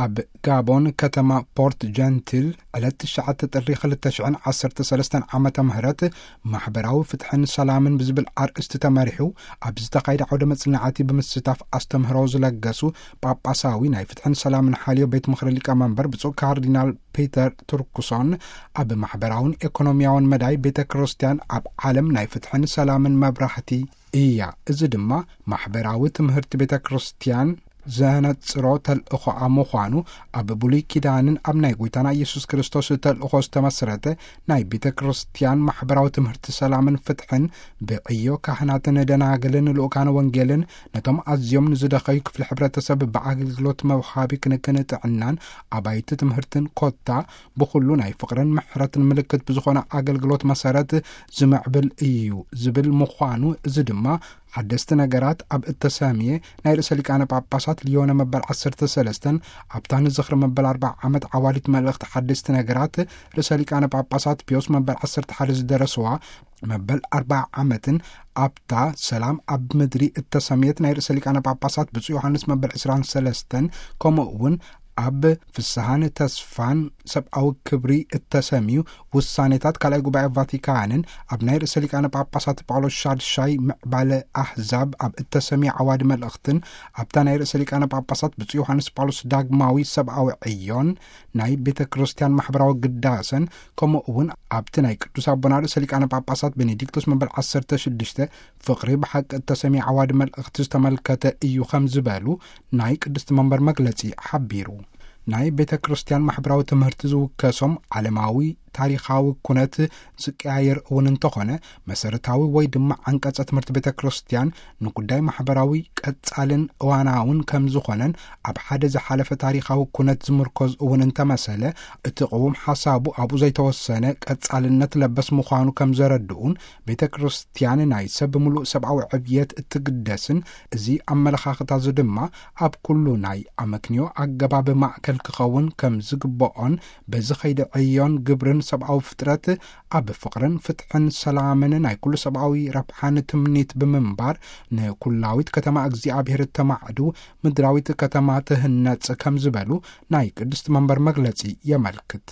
ኣብ ጋቦን ከተማ ፖርት ጀንቲል ዕለት ትሽዓተ ጥሪ ክልተ ሽሕን ዓሰርተ ሰለስተን ዓመተ ምህረት ማሕበራዊ ፍትሕን ሰላምን ብዝብል ኣርእስቲ ተመሪሑ ኣብ ዝተኻየደ ዓውደ መጽናዕቲ ብምስታፍ ኣስተምህሮ ዝለገሱ ጳጳሳዊ ናይ ፍትሕን ሰላምን ሓልዮ ቤት ምኽሪ ሊቀመንበር ብፁዕ ካርዲናል ፒተር ቱርኩሶን፣ ኣብ ማሕበራውን ኤኮኖሚያውን መዳይ ቤተ ክርስቲያን ኣብ ዓለም ናይ ፍትሕን ሰላምን መብራህቲ እያ። እዚ ድማ ማሕበራዊ ትምህርቲ ቤተ ክርስቲያን ዘነጽሮ ተልእኾኣ ምዃኑ፣ ኣብ ብሉይ ኪዳንን ኣብ ናይ ጐይታና ኢየሱስ ክርስቶስ ተልእኾ ዝተመስረተ ናይ ቤተ ክርስቲያን ማሕበራዊ ትምህርቲ ሰላምን ፍትሕን ብዕዮ ካህናትን ደናግልን ልኡካን ወንጌልን ነቶም ኣዝዮም ንዝደኸዩ ክፍሊ ሕብረተሰብ ብኣገልግሎት መውሃቢ ክንክን ጥዕናን ኣባይቲ ትምህርትን ኮታ ብኹሉ ናይ ፍቕርን ምሕረትን ምልክት ብዝኾነ ኣገልግሎት መሰረት ዝምዕብል እዩ ዝብል ምዃኑ፣ እዚ ድማ ሓደስቲ ነገራት ኣብ እተሰምየ ናይ ርእሰ ሊቃነ ጳጳሳት ሊዮነ መበል ዓሰርተ ሰለስተን ኣብታ ንዝኽሪ መበል ኣርብዓ ዓመት ዓዋዲት መልእኽቲ ሓደስቲ ነገራት ርእሰ ሊቃነ ጳጳሳት ፒዮስ መበል ዓሰርተ ሓደ ዝደረስዋ መበል ኣርብዓ ዓመትን ኣብታ ሰላም ኣብ ምድሪ እተሰምየት ናይ ርእሰ ሊቃነ ጳጳሳት ብፁዕ ዮሃንስ መበል ዕስራን ሰለስተን፣ ከምኡ እውን ኣብ ፍስሃን ተስፋን ሰብኣዊ ክብሪ እተሰምዩ ውሳኔታት ካልኣይ ጉባኤ ቫቲካንን ኣብ ናይ ርእሰ ሊቃነ ጳጳሳት ጳውሎስ ሻድሻይ ምዕባለ ኣህዛብ ኣብ እተሰምየ ዓዋዲ መልእኽትን ኣብታ ናይ ርእሰ ሊቃነ ጳጳሳት ብፁዕ ዮሃንስ ጳውሎስ ዳግማዊ ሰብኣዊ ዕዮን ናይ ቤተ ክርስቲያን ማሕበራዊ ግዳሰን፣ ከምኡ እውን ኣብቲ ናይ ቅዱስ ኣቦና ርእሰ ሊቃነ ጳጳሳት ቤኔዲክቶስ መበል ዓሰርተ ሽዱሽተ ፍቕሪ ብሓቂ እተሰምየ ዓዋዲ መልእኽቲ ዝተመልከተ እዩ ከም ዝበሉ ናይ ቅድስቲ መንበር መግለጺ ሓቢሩ። ናይ ቤተ ክርስቲያን ማሕበራዊ ትምህርቲ ዝውከሶም ዓለማዊ ታሪኻዊ ኩነት ዝቀያየር እውን እንተኾነ፣ መሰረታዊ ወይ ድማ ዓንቀጸ ትምህርቲ ቤተ ክርስቲያን ንጉዳይ ማሕበራዊ ቀጻልን እዋናውን ከም ዝኾነን ኣብ ሓደ ዝሓለፈ ታሪኻዊ ኩነት ዝምርኮዝ እውን እንተመሰለ፣ እቲ ቅውም ሓሳቡ ኣብኡ ዘይተወሰነ ቀጻልነት ለበስ ምዃኑ ከም ዘረድኡን፣ ቤተ ክርስቲያን ናይ ሰብ ምሉእ ሰብኣዊ ዕብየት እትግደስን፣ እዚ ኣመለኻኽታ እዚ ድማ ኣብ ኩሉ ናይ ኣመክንዮ ኣገባብ ማእከል ክኸውን ከም ዝግብኦን፣ በዚ ኸይዲ ዕዮን ግብርን ሰብኣዊ ፍጥረት ኣብ ፍቕርን ፍትሕን ሰላምን ናይ ኩሉ ሰብኣዊ ረብሓን ትምኒት ብምንባር፣ ንኩላዊት ከተማ እግዚኣብሔር እተማዕዱ ምድራዊት ከተማ ትህነጽ ከም ዝበሉ ናይ ቅድስቲ መንበር መግለጺ የመልክት።